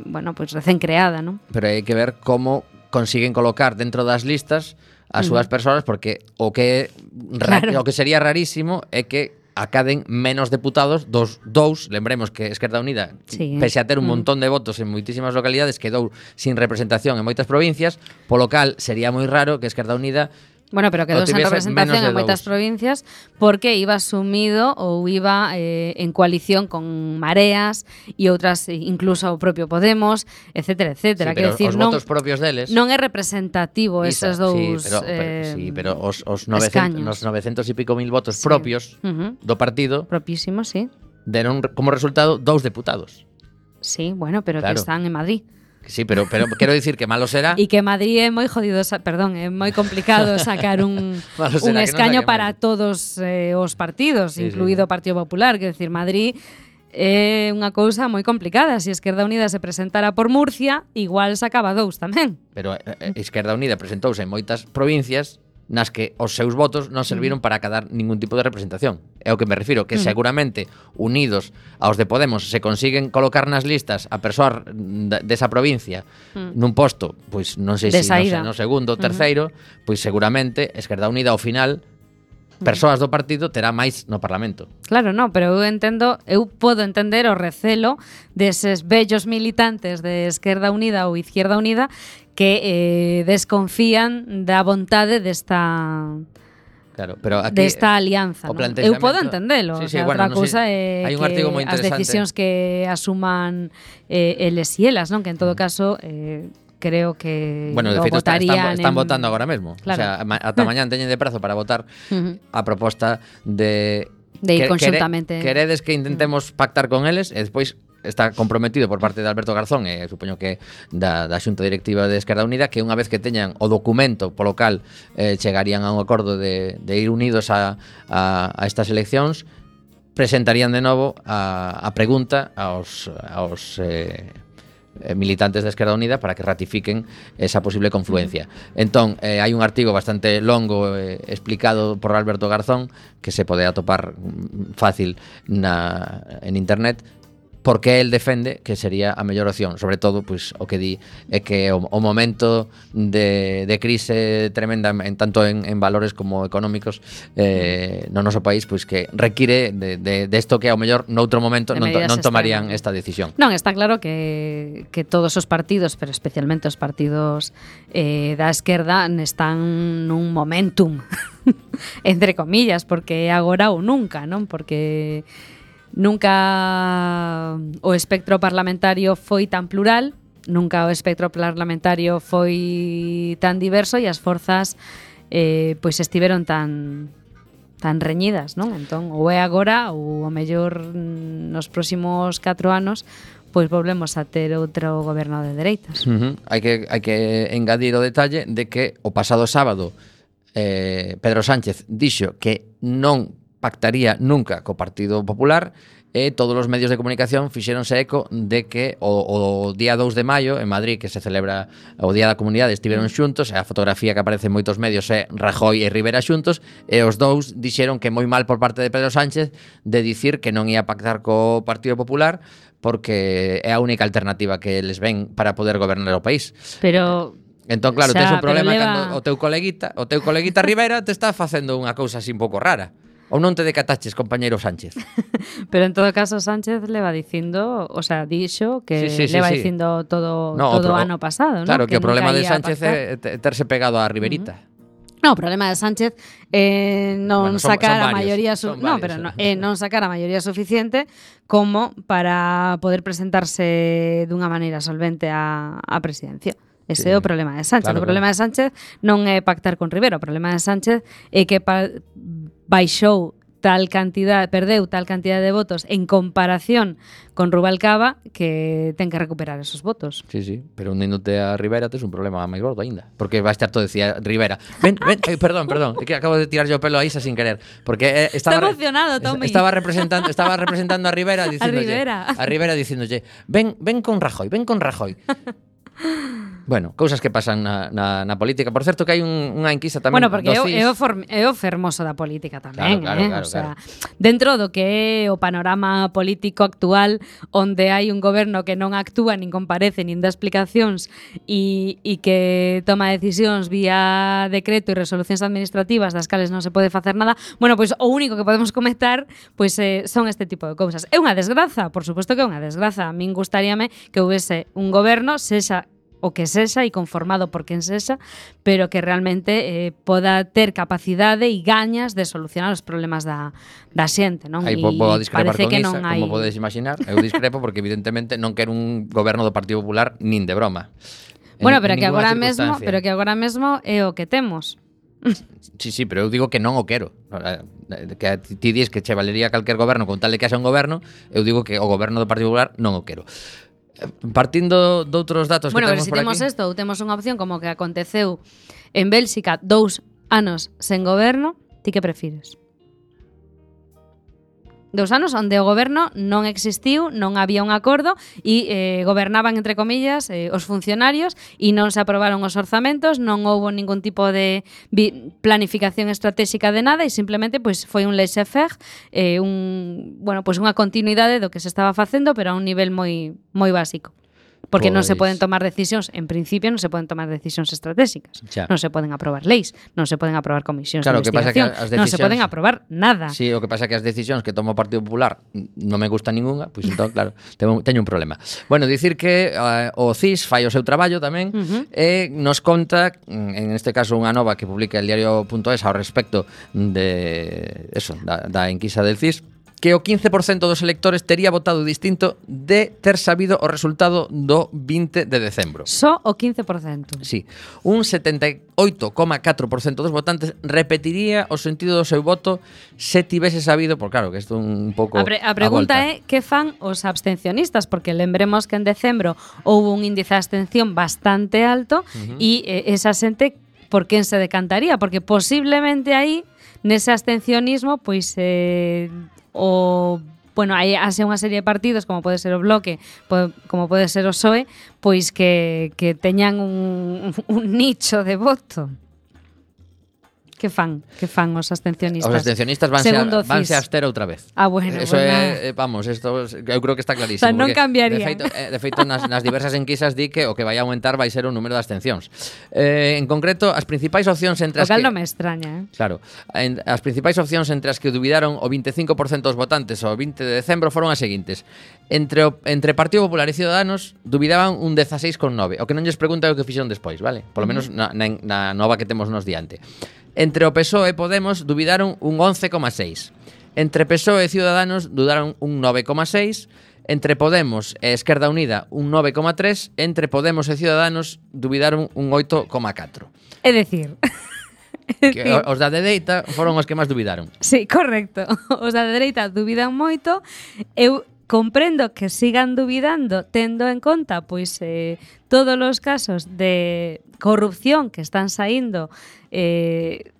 bueno, pois recén creada, non? Pero hai que ver como consiguen colocar dentro das listas as súas persoas, porque o que sería rarísimo é que acaden menos deputados dous, lembremos que Esquerda Unida, pese a ter un montón de votos en moitísimas localidades, quedou sin representación en moitas provincias, polo cal sería moi raro que Esquerda Unida Bueno, pero quedou sen representación en moitas provincias porque iba sumido ou iba en coalición con Mareas e outras, incluso o propio Podemos, etcétera, etcétera. Sí, pero decir, os votos propios deles non é representativo esos dous pero os 900 e pico mil votos propios do partido propísimos, sí. Deron como resultado 2 deputados. Sí, bueno, pero que están en Madrid. Sí, pero quero dicir que malo será. E que Madrid é moi jodido, é moi complicado sacar un escaño para todos os partidos, incluído o Partido Popular, quero dicir, Madrid é unha cousa moi complicada. Se Esquerda Unida se presentara por Murcia, igual sacaba 2 tamén. Pero Esquerda Unida presentouse en moitas provincias nas que os seus votos non serviron para acadar ningún tipo de representación. É o que me refiro, que seguramente unidos aos de Podemos se consiguen colocar nas listas a persoas desa provincia nun posto, pois non sei se no segundo ou terceiro, pois seguramente Esquerda Unida ao final persoas do partido terá máis no Parlamento. Claro, non, pero eu podo entender o recelo deses vellos militantes de Esquerda Unida ou Izquierda Unida que desconfían da vontade desta alianza, ¿no? Eu podo entendelo, outra cousa é que as decisións que asuman eles e elas, non? Que en todo caso creo que de feito están votando agora mesmo. Claro. O sea, ata mañán teñen de prazo para votar a proposta de ir conxuntamente. Queredes que intentemos pactar con eles e despois está comprometido por parte de Alberto Garzón e supoño que da Xunta Directiva de Esquerda Unida que unha vez que teñan o documento polo cal chegarían a un acordo de ir unidos a estas eleccións, presentarían de novo a pregunta aos militantes de Esquerda Unida para que ratifiquen esa posible confluencia. Entón, hai un artigo bastante longo explicado por Alberto Garzón que se pode atopar fácil en internet, porque el defende que sería a mellor opción. Sobre todo, pois, o que di é que o momento de crise tremenda tanto en valores como económicos no noso país, pois que require de isto que ao mellor noutro momento non tomarían esta decisión. Non, está claro que todos os partidos, pero especialmente os partidos da esquerda, están nun momentum entre comillas, porque é agora ou nunca, non? Porque nunca o espectro parlamentario foi tan plural, nunca o espectro parlamentario foi tan diverso e as forzas pois estiveron tan reñidas, non? Entón, ou é agora ou ao mellor nos próximos 4 anos pois volvemos a ter outro goberno de dereitas. Hai que engadir o detalle de que o pasado sábado Pedro Sánchez dixo que non pactaría nunca co Partido Popular e todos os medios de comunicación fixéronse eco de que o día 2 de maio en Madrid, que se celebra o Día da Comunidade, estiveron xuntos, e a fotografía que aparece en moitos medios é Rajoy e Rivera xuntos, e os dous dixeron que moi mal por parte de Pedro Sánchez de dicir que non ia pactar co Partido Popular porque é a única alternativa que les ven para poder gobernar o país. Pero Entón, claro, Xa, tes un pero problema leva- cando o teu coleguita Rivera te está facendo unha cousa así un pouco rara. Ou non te decataches, compañeiro Sánchez? Pero en todo caso Sánchez le va dicindo, o sea, dixo que Sí, le va sí. dicindo todo No, todo o ano pasado, ¿no? Claro, que o problema nunca de ía a Sánchez pactar. é terse pegado á Riverita. No, o problema de Sánchez non Bueno, son sacar a varios, maioría son no, varios. pero non sacar a maioría suficiente como para poder presentarse dunha maneira solvente á presidencia. Ese Sí, é o problema de Sánchez. claro, O problema de Sánchez non é pactar con Rivera, o problema de Sánchez é que baixou perdeu tal cantidad de votos en comparación con Rubalcaba que ten que recuperar esos votos. Sí, pero uníndote a Rivera tes un problema máis gordo aínda, porque vai estar todo decía Rivera. Ven, perdón, é que acabo de tirar yo o pelo a Isa sin querer, porque Está emocionado, Tommy. Estaba representando a Rivera A Rivera dicíndolle, ven con Rajoy. Bueno, cousas que pasan na política. Por certo que hai unha enquisa tamén Bueno, porque do CIS. é o fermoso da política tamén, Claro, o sea, dentro do que é o panorama político actual, onde hai un goberno que non actúa, nin comparece, nin dá explicacións e que toma decisións vía decreto e resolucións administrativas das cales non se pode facer nada, bueno, pois o único que podemos comentar pois son este tipo de cousas. É unha desgraza, por suposto que é unha desgraza. A min gustaríame que houvese un goberno, sexa o que sexa e conformado por quen sexa, pero que realmente poda ter capacidade e gañas de solucionar os problemas da xente, non? Aí E vou discrepar parece con que Isa, non hai... como podedes imaginar. Eu discrepo porque evidentemente non quero un goberno do Partido Popular nin de broma. Bueno, pero En que ningunha agora mesmo é o que temos. Sí, pero eu digo que non o quero. Que ti dis que che valería calquer goberno con tal de que haxa un goberno, eu digo que o goberno do Partido Popular non o quero. Partindo de outros datos Bueno, que pero temos se por temos aquí. isto, ou temos unha opción como que aconteceu en Bélxica 2 anos sen goberno, ti que prefires? 2 anos onde o goberno non existiu, non había un acordo e gobernaban, entre comillas, os funcionarios e non se aprobaron os orzamentos, non houbo ningún tipo de planificación estratégica de nada e simplemente pois foi un laissez-faire, unha continuidade do que se estaba facendo, pero a un nivel moi básico. Porque non se poden tomar decisións, en principio non se poden tomar decisións estratégicas. Xa. Non se poden aprobar leis, non se poden aprobar comisións Claro, de que pasa que investigación, as non se decisións- poden aprobar nada. Sí, o que pasa é que as decisións que toma o Partido Popular non me gusta ningunha, pois entón, claro, teño un problema. Bueno, dicir que o CIS fai o seu traballo tamén e nos conta, en este caso unha nova que publica el diario.es ao respecto de eso, da enquisa del CIS, que o 15% dos electores tería votado distinto de ter sabido o resultado do 20 de decembro. Só o 15%. Sí, un 78,4% dos votantes repetiría o sentido do seu voto se tivese sabido, por claro, que isto é un pouco A pregunta volta. é que fan os abstencionistas, porque lembremos que en decembro houve un índice de abstención bastante alto e esa xente por quen se decantaría, porque posiblemente aí nese abstencionismo pois hai unha serie de partidos como pode ser o Bloque, como pode ser o PSOE, pois que teñan un nicho de voto. Que fan os abstencionistas? Os abstencionistas vanse Segundo a CIS. abster outra vez. Ah, bueno, Eso pues é, vamos, isto eu creo que está clarísimo. O sea, non porque, cambiaría. De feito nas diversas enquisas di que o que vai aumentar vai ser o número de abstencións. En concreto, as principais opcións entre O as cal que... non me extraña, Claro, as principais opcións entre as que dubidaron o 25% dos votantes ao 20 de decembro foron as seguintes. Entre Partido Popular e Ciudadanos dubidaban un 16,9. O que non lles pregunta é o que fixeron despois, vale? Polo menos na nova que temos nos diante. Entre o PSOE e Podemos dubidaron un 11,6. Entre PSOE e Ciudadanos dudaron un 9,6. Entre Podemos e Esquerda Unida un 9,3. Entre Podemos e Ciudadanos dubidaron un 8,4. É dicir... Que os da dereita foron os que máis dubidaron. Sí, correcto. Os da dereita dubidan moito. Eu comprendo que sigan dubidando tendo en conta pois todos os casos de corrupción que están saindo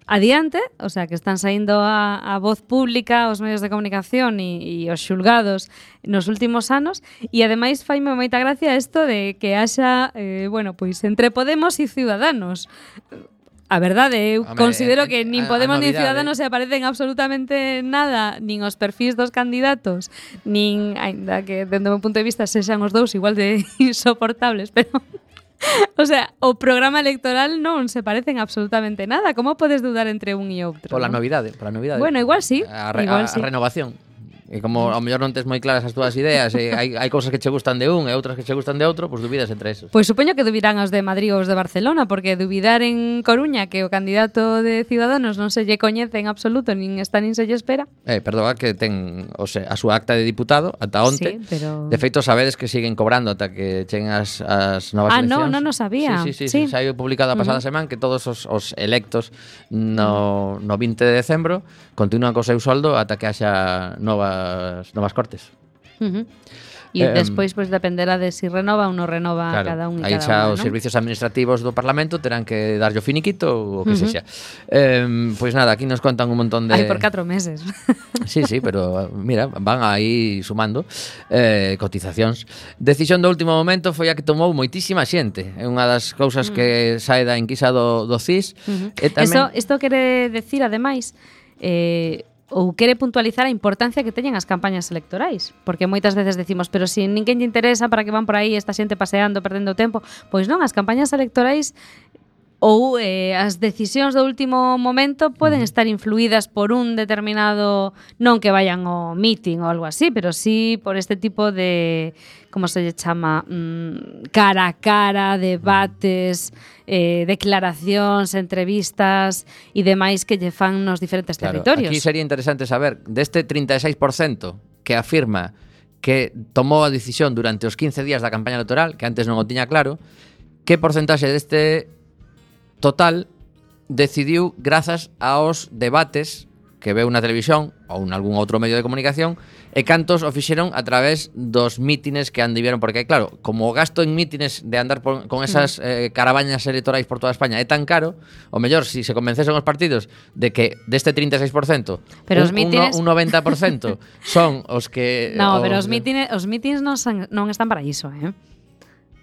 adiante, o sea, que están saindo a voz pública, aos medios de comunicación e os xulgados nos últimos anos, e ademais faime moita gracia isto de que haxa, pois entre Podemos e Ciudadanos. A verdade, eu considero que nin Podemos nin Ciudadanos se aparecen absolutamente nada, nin os perfís dos candidatos, nin, ainda que dende o meu punto de vista sexan os dous igual de insoportables, pero O sea, o programa electoral non se parecen absolutamente nada. Como podes dudar entre un e outro? Pola non? novidade. Bueno, igual sí. A igual sí. renovación. E como ao mellor non tes moi claras as túas ideas e hai cousas que che gustan de un e outras que che gustan de outro, pois dubidas entre esos. Pois supoño que dubidarán os de Madrid ou os de Barcelona, porque dubidar en Coruña que o candidato de Ciudadanos non se lle coñece en absoluto, nin está nin se lle espera. Perdoa que ten a súa acta de diputado ata onte. Sí, pero... De feito, sabedes que siguen cobrando ata que cheguen as novas eleccións. Non o sabía. Sí. Saiu publicado a pasada semana que todos os electos no 20 de decembro continúan co seu soldo ata que haxa novas cortes. E despois pois dependerá de si renova ou non renova cada un e aí cada xa unha, os non? servicios administrativos do Parlamento terán que darlle o finiquito ou o que sexa. Pois nada, aquí nos contan un montón de... Ai, por 4 meses. Sí, pero mira, van aí sumando cotizacións. Decisión do último momento foi a que tomou moitísima xente. É unha das cousas que sae da enquisa do CIS. E tamén... Isto quere decir, ademais, ou quere puntualizar a importancia que teñen as campañas electorais, porque moitas veces decimos, pero se ninguén lle interesa, para que van por aí esta xente paseando, perdendo o tempo. Pois non, as campañas electorais ou as decisións do último momento poden estar influídas por un determinado, non que vayan ao meeting ou algo así, pero sí por este tipo de, como se lle chama, cara a cara, debates, declaracións, entrevistas e demais que lle fan nos diferentes territorios. Aquí sería interesante saber deste 36% que afirma que tomou a decisión durante os 15 días da campaña electoral, que antes non o tiña claro, que porcentaxe deste total decidiu grazas aos debates que veu na televisión ou en algún outro medio de comunicación e cantos o fixeron a través dos mítines que andivieron, porque claro, como o gasto en mítines de andar con esas caravañas electorais por toda España é tan caro, o mellor, si se convencesen os partidos de que deste 36% pero os mítines... un 90% son os que... No, pero os mítines non están para iso,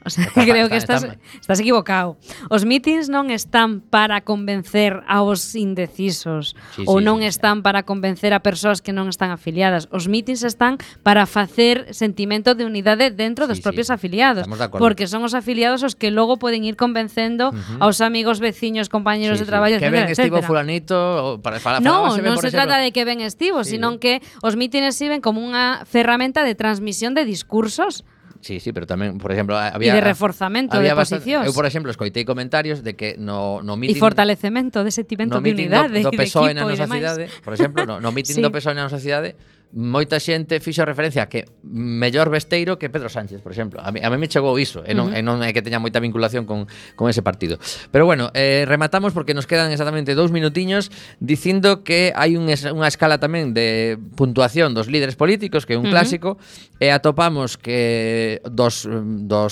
O sea, creo que estás equivocado. Os mítins non están para convencer aos indecisos ou non están para convencer a persoas que non están afiliadas. Os mítins están para facer sentimento de unidade dentro dos propios afiliados, porque son os afiliados os que logo poden ir convencendo aos amigos, veciños, compañeros de traballo, que ben estivo etcétera. fulanito non se trata de que ben estivo, sino que os mítines sirven como unha ferramenta de transmisión de discursos. Sí, pero tamén, por exemplo, había... E de reforzamento de posicións. Eu, por exemplo, escoitei comentarios de que no E meeting... fortalecemento de sentimento de unidade do PSOE de na equipo nosa cidade, por exemplo, no meeting do PSOE na nosa cidade, moita xente fixo referencia a que mellor vesteiro que Pedro Sánchez, por exemplo. A mí me chegou iso, e non é que teña moita vinculación con ese partido. Pero bueno, rematamos porque nos quedan exactamente 2 minutiños dicindo que hai unha escala tamén de puntuación dos líderes políticos, que é un clásico, e atopamos que dos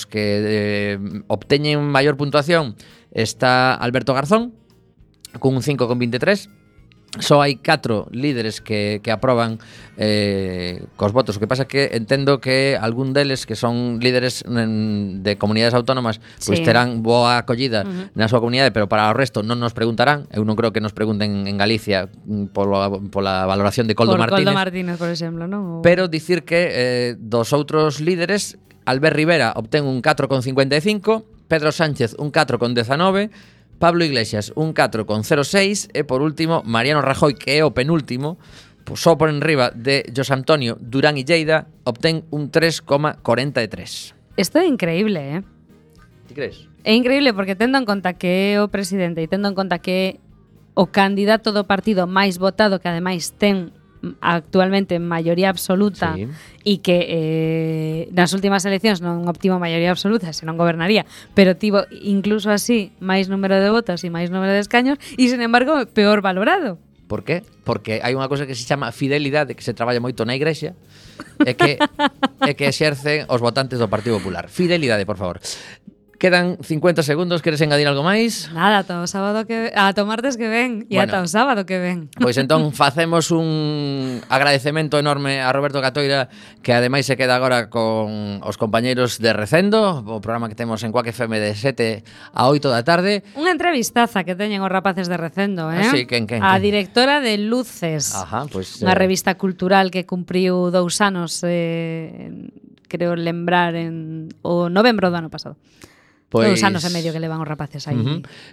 que obteñen maior puntuación está Alberto Garzón, cun 5,23. Só hai 4 líderes que aproban cos votos. O que pasa é que entendo que algún deles que son líderes de comunidades autónomas pois terán boa acollida na súa comunidade, pero para o resto non nos preguntarán. Eu non creo que nos pregunten en Galicia pola valoración de Coldo Martínez. Coldo Martínez, por exemplo, non? Pero dicir que dos outros líderes, Albert Rivera obtén un 4,55, Pedro Sánchez un 4,19, Pablo Iglesias un 4,06 e por último Mariano Rajoy, que é o penúltimo, só por enriba de José Antonio Durán e Lleida, obtén un 3,43. Isto é increíble, Ti crees? É increíble porque tendo en conta que é o presidente e tendo en conta que é o candidato do partido máis votado, que ademais ten actualmente maioría absoluta e que nas últimas eleccións non obtivo maioría absoluta, senón gobernaría, pero tivo incluso así máis número de votos e máis número de escaños e, sin embargo, peor valorado. Por qué? Porque hai unha cosa que se chama fidelidade, que se traballa moito na Igrexa, e que exercen os votantes do Partido Popular. Fidelidade, por favor. Quedan 50 segundos, queres engadir algo máis? Nada, ata o sábado ata o martes que ven e ata o sábado que ven. Pois entón facemos un agradecemento enorme a Roberto Catoira, que ademais se queda agora con os compañeiros de Recendo, o programa que temos en Cuac FM de 7 a 8 da tarde. Unha entrevistaza que teñen os rapaces de Recendo, Sí, quen? A directora de Luces. Ajá, pois unha revista cultural que cumpriu 2 anos, creo lembrar, en o novembro do ano pasado. Pois... 2 anos e medio que levan os rapaces aí.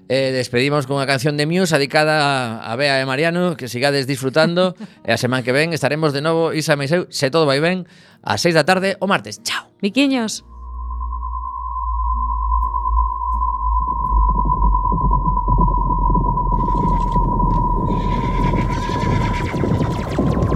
Despedimos con unha canción de Muse dedicada a Bea e Mariano, que sigades disfrutando. E a semana que ven estaremos de novo, Isa e Meiseu, se todo vai ben, ás 6 da tarde o martes. Chao. Miquiños.